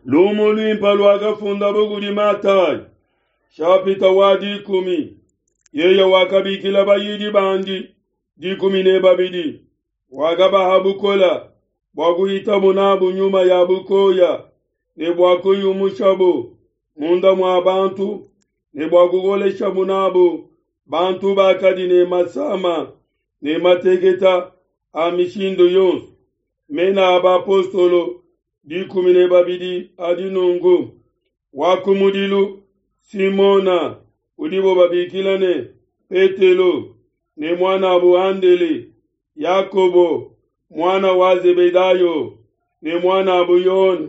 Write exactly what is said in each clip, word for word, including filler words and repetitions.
Lumu luimpe luakafundabo kudi Matayi, shapita wa dikumi. Yeye wakabikila bayidi bandi dikumi ne babidi, wakabaha bukola bua kuhitabo nabu nyuma ya bukoya, ne bua kuyumushabo munda mua bantu, ne bua kukoleshabo nabu bantu bakadi ne masama ne mateketa a mishindu yonso. Mena a bapostolo dikumi ne babidi adi nunku: wa kumudilu Simona, udibo babikila ne Petelo, ne muanabo Andele, Yakobo muana wa Zebedayo, ne muanabo Yone,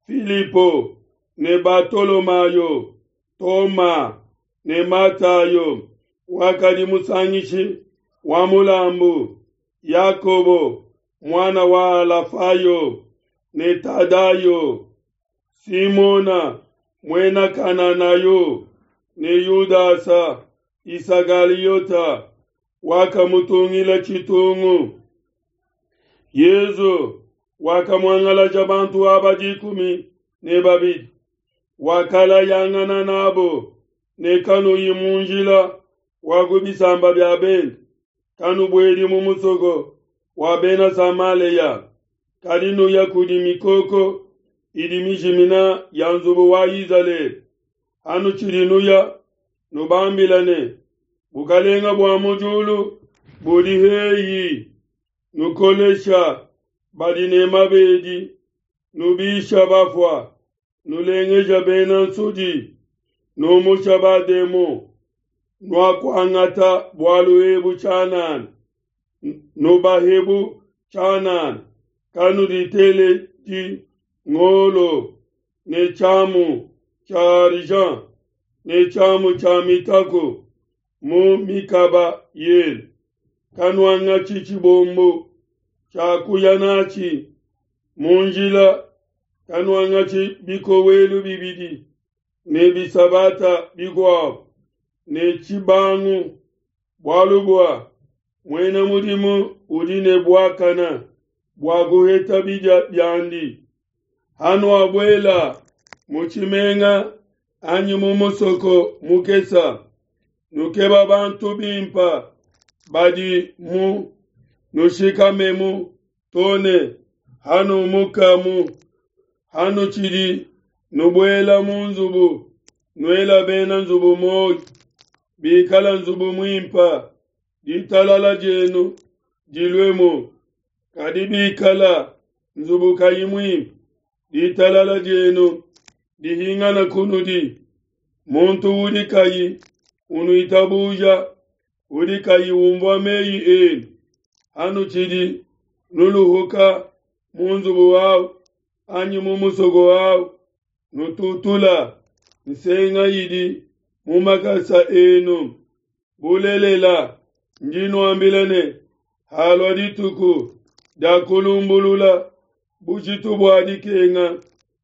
Filipo ne Batolomayo, Toma ne Matayo wakadi musangishi wa mulambu, Yakobo muana wa Alafayo ne Tadayo, Simona muena Kananayo ne Yudasa Isakaliota wakamutungila tshitungu. Yesu wakamuangalaja bantu aba dikumi ne babidi, wakalayangana nabo ne kanuyi mu njila wa ku bisamba bia bende, kanubuedi mu musoko wa Bena Samalea, kadi nuya kudi mikoko idi mijimina ya nzubu wa Izalele. Hanutshidi nuya, nubambila ne, bukalenga bua mu diulu budi heyi. Nukolesha badi ne mabedi, nubisha bafua, nulengeja bena nsudi, numusha bademon. Nuakuangata bualu ebu tshianana, nubahebu tshianana. Kanuditeledi ngolo ne tshiamu tshia argent ne tshiamu tshia mitaku mu mikaba yenu. Kanuangatshi tshibombo tshia kuya natshi mu njila, kanuangatshi bikowelu bibidi ne bisabata bikuabo ne tshibangu, bualu bua muena mudimu udi ne buakana bua kuheta bidia biandi. Hanuabuela mu tshimenga anyi mu musoko mukesa, nukeba bantu bimpa badi mu nushikamemu tone hanumukamu. Hanutshidi nubuela mu nzubu, nuela bena nzubu muoyo. Bikala nzubu muimpa, ditalala dienu diluemu, kadi bikala nzubu kayi muimpe, ditalala dienu dihingana kunudi. Muntu udi kayi unuitabuja, udi kayi umvua meyi enu, hanutshidi nuluhuka mu nzubu wawu anyi mu musoko wawu, nututula nsenga idi mu makasa enu. Bulelela, ndi nuambila ne, halua dituku dia kulumbulula, bujitu bua dikenga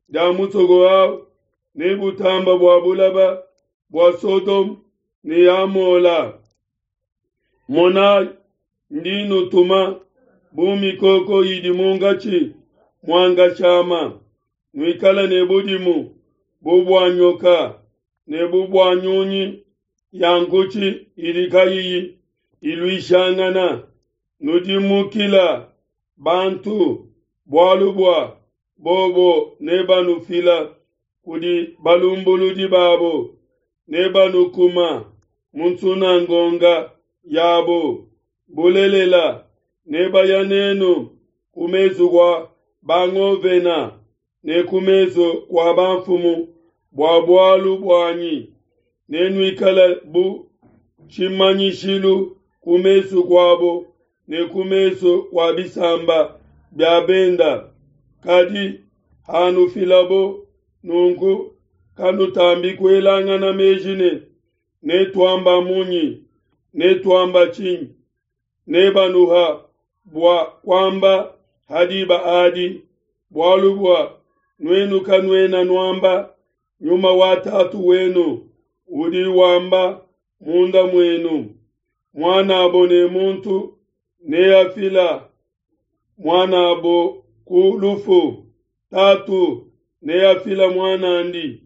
dia musoko wawu ne butamba bua bulaba bua Sodome ne Amola. Monayi, ndi nutuma bu mikoko idi munkatshi mua nkashama. Nuikale ne budimu bu bua nyoka ne bu bua nyunyi ya nkutshi idi kayiyi iluishangana. Nudimukila bantu, bualu bua bobo nebanufila kudi balumbuludi babo, nebanukuma mu nsunangonga yabo. Bulelela, nebaya nenu ku mesu kua bangovena ne ku mesu kua bamfumu bua bualu buanyi. Nenuikale bu tshimanyishilu ku mesu kuabo ne ku mesu kua bisamba bia benda. Kadi hanufilabo nunku, kanutambi kuelangana meji ne, netuamba munyi, netuamba tshinyi? Nebanuha bua kuamba ha diba adi, bualu bua nuenu kanuena nuamba, nyuma wa Tatu wenu udi wamba munda muenu. Muanabo ne muntu neafila muanabo ku lufu, tatu neafila muanandi,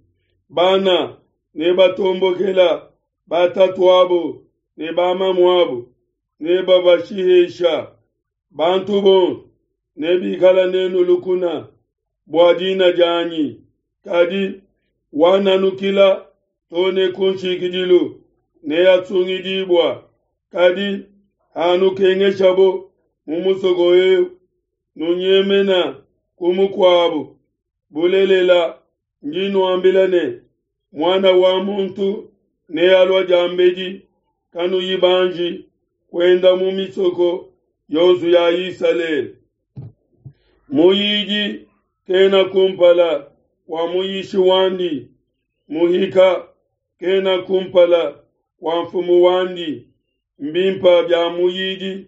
bana nebatombokela batatuabo ne bamamuabo, nebabashihesha. Bantu bonso nebikala nenu lukuna bua dina dianyi, kadi wananukila to ne kunshikidilu neasungidibua. Kadi hanukengeshabo mu musoko eu, nunyemena ku mukuabo. Bulelela, ndi nuambila ne, Muana wa muntu nealua diambedi kanuyi banji kuenda mu misoko yonso ya Isalele. Muyidi kena kumpala kua muyishi wandi, muhika kena kumpala kua mfumu wandi. Mbimpa bia muyidi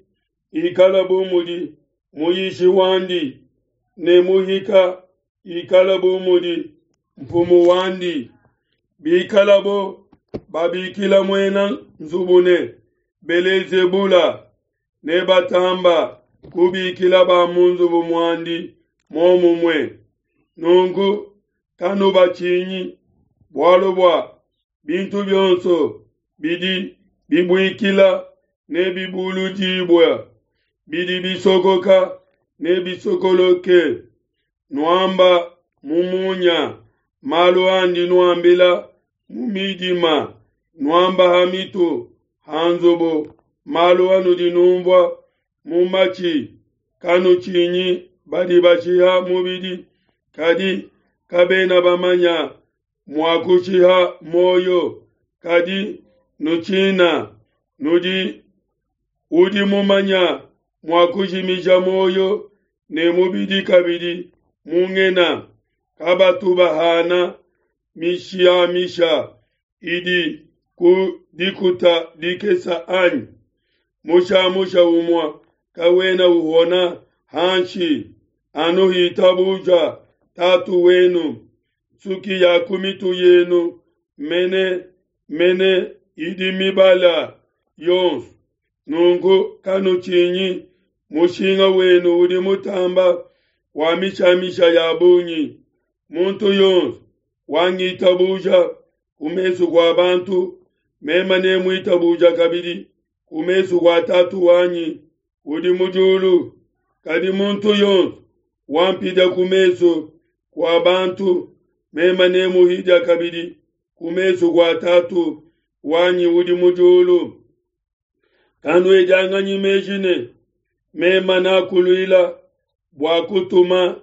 ikala bu mudi muyishi wandi, ne muhika ikala bu mudi mfumu wandi. Bikalabo babikila muena nzubu ne Belezebula, ne batamba kubikila ba mu nzubu muandi momumue. Nunku kanubatshinyi, bualu bua bintu bionso bidi bibuikila nebibuludibue, bidi bisokoka nebisokoloke. Nuamba mu munya malu andi nuambila mu midima, nuamba ha mitu ha nzubu malu anudi numvua mu matshi. Kanutshinyi badi bashiha mubidi, kadi kabena bamanya mua kushiha muoyo, kadi nutshina nudi udi mumanya mua kujimija muoyo ne mubidi kabidi mu ngena. Kabatu bahana mishamisha idi ku dikuta dikesa anyi? Mushamusha umue kawena uhona hanshi anu hitabuja Tatu wenu. Nsuki ya ku mitu yenu mene mene idi mibala yonso. Nunku kanutshinyi, mushinga wenu udi mutamba wa mishamisha ya bungi. Muntu yonso wangitabuja ku mesu kua bantu, mema nemuitabuja kabidi ku mesu kua Tatu wanyi udi mu diulu. Kadi muntu yonso wampidia ku mesu kua bantu, mema nemuhidia kabidi ku mesu kua Tatu wanyi udi mu diulu. Kanuedianganyi meji ne mema nakuluila bua kutuma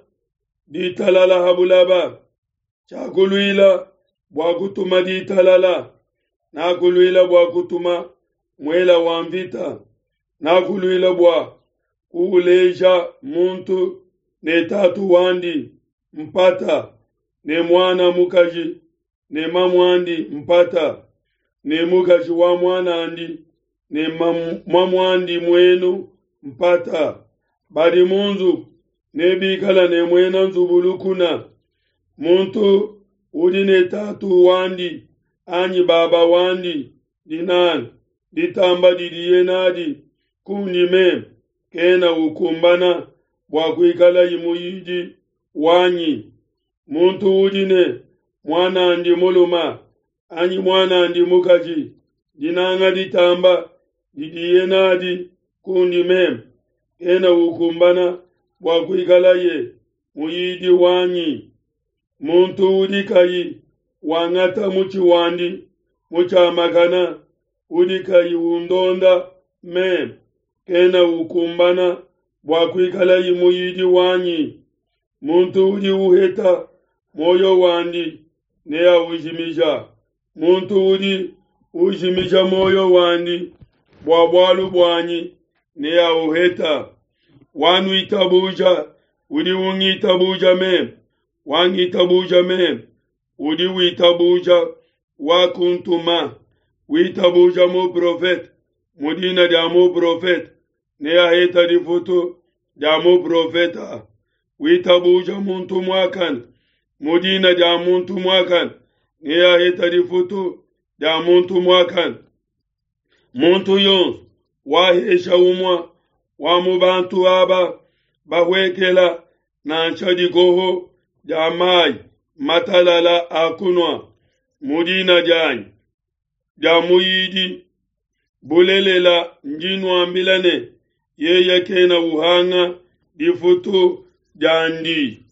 ditalala ha bulaba. Tshiakuluila bua kutuma ditalala, nakuluila bua kutuma muela wa mvita, nakuluila bua kuuleja muntu ne tatu wandi mpata, ne muana mukaji ne mamuandi mpata, ne mukaji wa muanandi ne mamuandi muenu mpata. Badi mu nzubu nebikala ne muena nzubu lukuna. Muntu udi ne tatu wandi anyi baba wandi dinanga ditamba didiye nadi kundi meme, kena ukumbana bua kuikala muyidi wanyi. Muntu udi ne muanandi muluma anyi muanandi mukaji dinanga ditamba didiye nadi kundi meme, kena ukumbana bua kuikalaye muyidi wanyi. Muntu udi kayi wangata mutshi wandi mutshiamakana, udi kayi undonda meme, kena ukumbana bua kuikalaye muyidi wanyi. Muntu udi uheta muoyo wandi neaujimija, muntu udi ujimija muoyo wandi bua bualu buanyi neauheta. Wanuitabuja udi ungitabuja meme, wangitabuja meme udi witabuja wakuntuma. Witabuja muprofete mu dina dia muprofete neaheta difutu dia muprofeta. Witabuja muntu muakane mu dina dia muntu muakane neaheta difutu dia muntu muakane. Muntu yonso wahesha umue wa mu bantu aba bahuekela nansha dikoho dia mayi matalala a kunua mu dina dianyi dia muyidi, bulelela ndi nuambila ne, Yeye kena uhanga difutu diandi.